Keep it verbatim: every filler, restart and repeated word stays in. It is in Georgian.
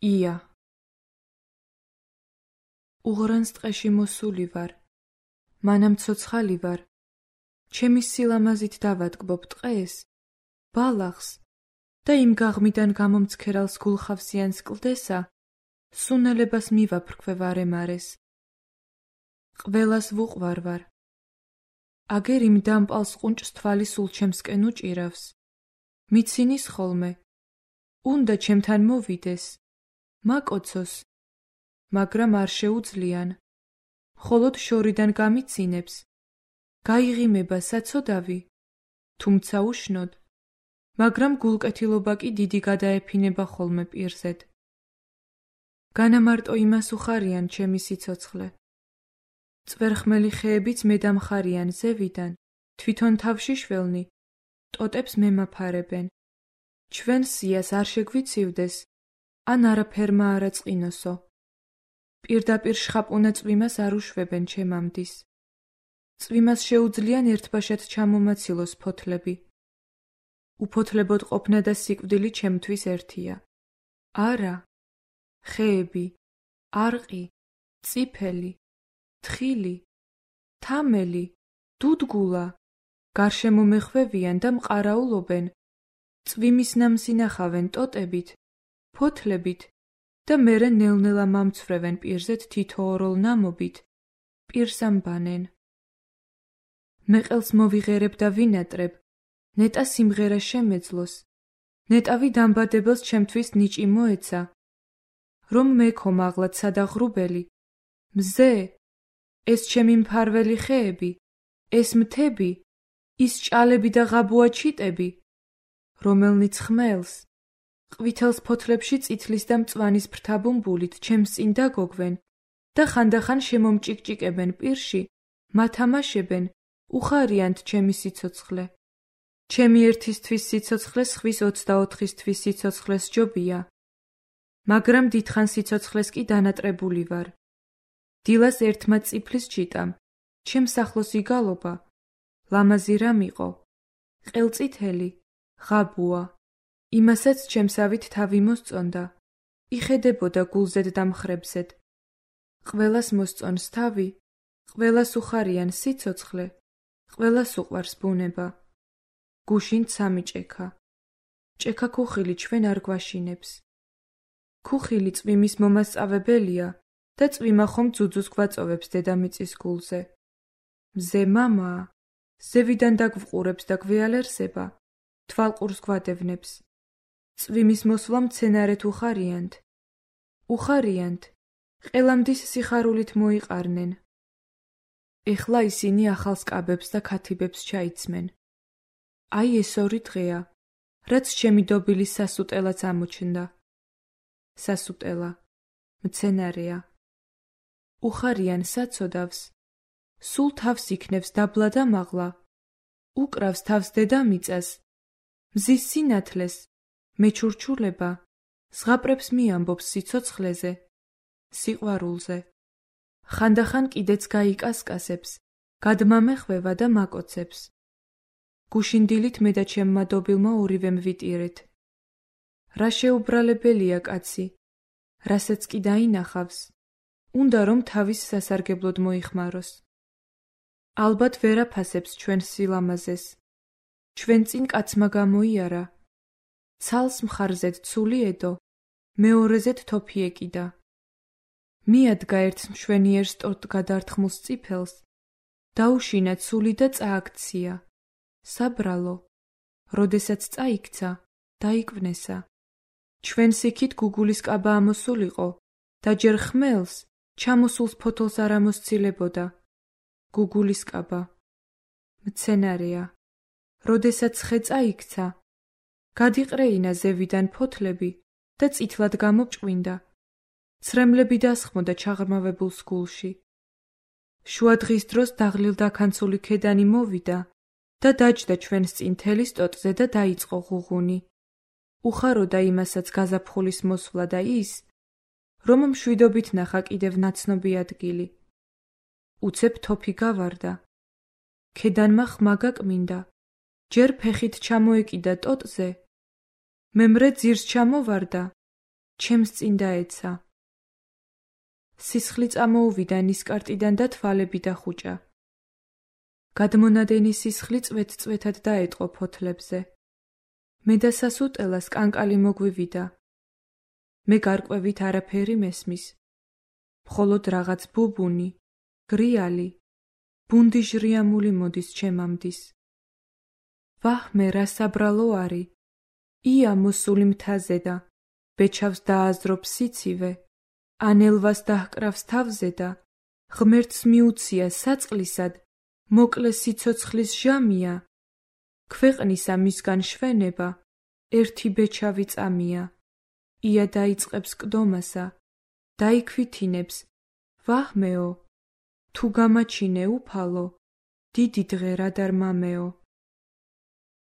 ია. უღრანს ტყეში მოსული ვარ, მანამ ცოცხალი ვარ, ჩემი სილამაზით დავატკბობ ტყეს, ბალახს და იმ გაღმიდან გამომცქერალს გულხავსიანს კლდესა, სუნელებას მივაფრქვე ვარემარეს. ყველას ვუყვარ ვარ. აგერ იმ დამპალს ყუნჭს თვალი სულ ჩემსკენ უჭირავს. მიცინის ხოლმე. უნდა ჩემთან მოვიდეს. მაკოცოს. მაგრამ არ შეუძლიან. მხოლოდ შორიდან გამიცინებს. გაიღიმება საცოდავი. თუმცა უშნოდ. მაგრამ გულკეთილობა კი დიდი გადაეფინება ხოლმე პირზედ. განამარტო იმას უხარიან ჩემი სიცოცხლე. წვერხმელი ხეებიც მედამხარიან ზევიდან, თვითონ თავში შველნი, ტოტებს მემაფარებენ. ჩვენ სიას არ შეგვიცივდეს, ან არაფერმა არა წინოსო. პირდაპირ შხაპუნა წვიმას არ უშვებენ ჩემამდის. წვიმას შეუძლიან ერთბაშად ჩამომაცილოს ფოთლები. უფოთლებოდ ყოფნა და სიკვდილი ჩემთვის ერთია. არა, ხეები, არყი, წიფელი, თხილი, თამელი, დუდგულა, გარშემო მეხვევიან და მყარაულობენ. წვიმის ნამს ინახავენ ტოტებით, ფოთლებით და მერე ნელ-ნელა მამცვრევენ პირზეთ თითოოროლ ნამობით, პირს ამბანენ. მე ყელს მოვიღერებ და ვინატრებ, ნეტა სიმღერა შემეძლოს, ნეტავი დამბადებელს ჩემთვის ნიჭი მოეცა, რომ მექო მაღლად სადაღრუბელი, მზე, ეს ჩემი მფარველი ხეები, ეს მთები, ის ჭალები და ღაბუა ჩიტები, რომელნიც ხმელს, ყვითელს ფოთლებში წითლის და მწვანის ფრთაბუმბულით ჩემს წინ დაგოგვენ და ხანდახან შემომჭიკჭიკებენ პირში, მათამაშებენ, უხარიანთ ჩემი სიცოცხლე. ჩემი ერთისთვის სიცოცხლე სხვის ოცდაოთხისთვის სიცოცხლეს ჯობია, მაგრამ დიდხან სიცოცხლეს კი დანატრებული ვარ. დილას ერთმა წიფლის ჩიტამ, ჩემს ახლოს იგალობა, ლამაზი რამ იყო, ყელწითელი, ღაბუა, იმასაც ჩემსავით თავი მოსწონდა, იხედებოდა გულზედ და მხრებზედ. ყველას მოსწონს თავი, ყველას უხარიან სიცოცხლე, ყველას უყვარს ბუნება. გუშინ ცამი ჭექა. ჭექა ქუხილი ჩვენ არ გვაშინებს. ქუხილი წვიმის მომასწავებელია და წვიმა ხომ ძუძუს გვაწოვებს დედამიწის გულზე. მზე მამაა, ზევიდან დაგვყურებს და გვეალერსება, თვალყურს გვადევნებს. წვიმის მოსვლა მცენარეთ უხარიანთ. უხარიანთ, ყელამდის სიხარულით მოიყარნენ. ეხლა ისინი ახალ სკაბებს და ქათიბებს ჩაიცმენ. აი ეს ორი დღეა, რაც ჩემი დობილის სასუტელაც ამოჩნდა. სასუტელა, მცენარეა. უხარიან საცოდავს, სულ თავს იქნევს დაბლა და მაღლა, უკრავს თავს დედამიწას, მზის სინათლეს, მეჩურჩულება, ზღაპრებს მიამბობს სიცოცხლეზე, სიყვარულზე. ხანდახან კიდეც გაიკასკასებს, გადმამეხვევა და მაკოცებს. გუშინ დილით მე და ჩემმა დობილმა ორივემ ვიტირეთ. რა შეუბრალებელია კაცი, რასაც კი დაინახავს, უნდა რომ თავის სასარგებლოდ მოიხმაროს. ალბათ ვერ აფასებს ჩვენ სილამაზეს, ჩვენ წინ კაცმა გამოიარა, ცალს მხარზედ ცული ედო, მეორეზედ თოფი ეკიდა. მიადგა ერთ მშვენიერ სტორტ გადართხმულს წიფელს, დაუშინა ცული და წააქცია. საბრალო, როდესაც წაიქცა, დაიკვნესა. ჩვენს იქით გუგულის კაბა ამოსულიყო და ჯერ ხმელს, ჩამოსულს ფოთოლს არ ამოსცილებოდა. გუგულის კაბა. მცენარეა. როდესაც ხე წაიქცა, გადიყრეინა ზევიდან ფოთლები და წითლად გამოჭყვინდა. ცრემლები დასხმოდა ჩაღრმავებულს გულში. შუა დღის დროს დაღლილ დაქანცული ქედანი მოვიდა და დაჯდა ჩვენს წინ თელის ტოტზე და დაიწყო ღუღუნი. უხაროდა იმასაც გაზაფხულის მოსვლა და ის, რომ მშვიდობით ნახა კიდევ ნაცნობი ადგილი. უცებ თოფი გავარდა. ქედანმა ხმა გაკმინდა, ჯერ ფეხით ჩამოეკიდა ტოტზე, მემრე ძირს ჩამოვარდა, ჩემს წინ დაეცა. სისხლი წამოუვიდა ნისკარტიდან და თვალები დახუჭა. გადმონადენი სისხლი წვეთ-წვეთად დაეტყო ფოთლებზე. მე და სასუტელას კანკალი მოგვივიდა. მე გარკვევით არაფერი მესმის. მხოლოდ რაღაც ბუბუნი, გრიალი, ბუნდი ჟრიამული მოდის ჩემამდის. ვაჰმე, რა საბრალო არი, ია მოსული მთაზე და ბეჩავს დააზრობს სიცივე, ანელვას დაჰკრავს თავზე და ღმერთს მიუცია საწყლისად, მოკლე სიცოცხლის ჟამია, ქვეყნისა მისგან შვენება, ერთი ბეჩავი წამია, ია დაიწყებს კდომასა, დაიქვითინებს, ვაჰმეო, თუ გამაჩინე უფალო, დიდი დღე რა დარ მამეო.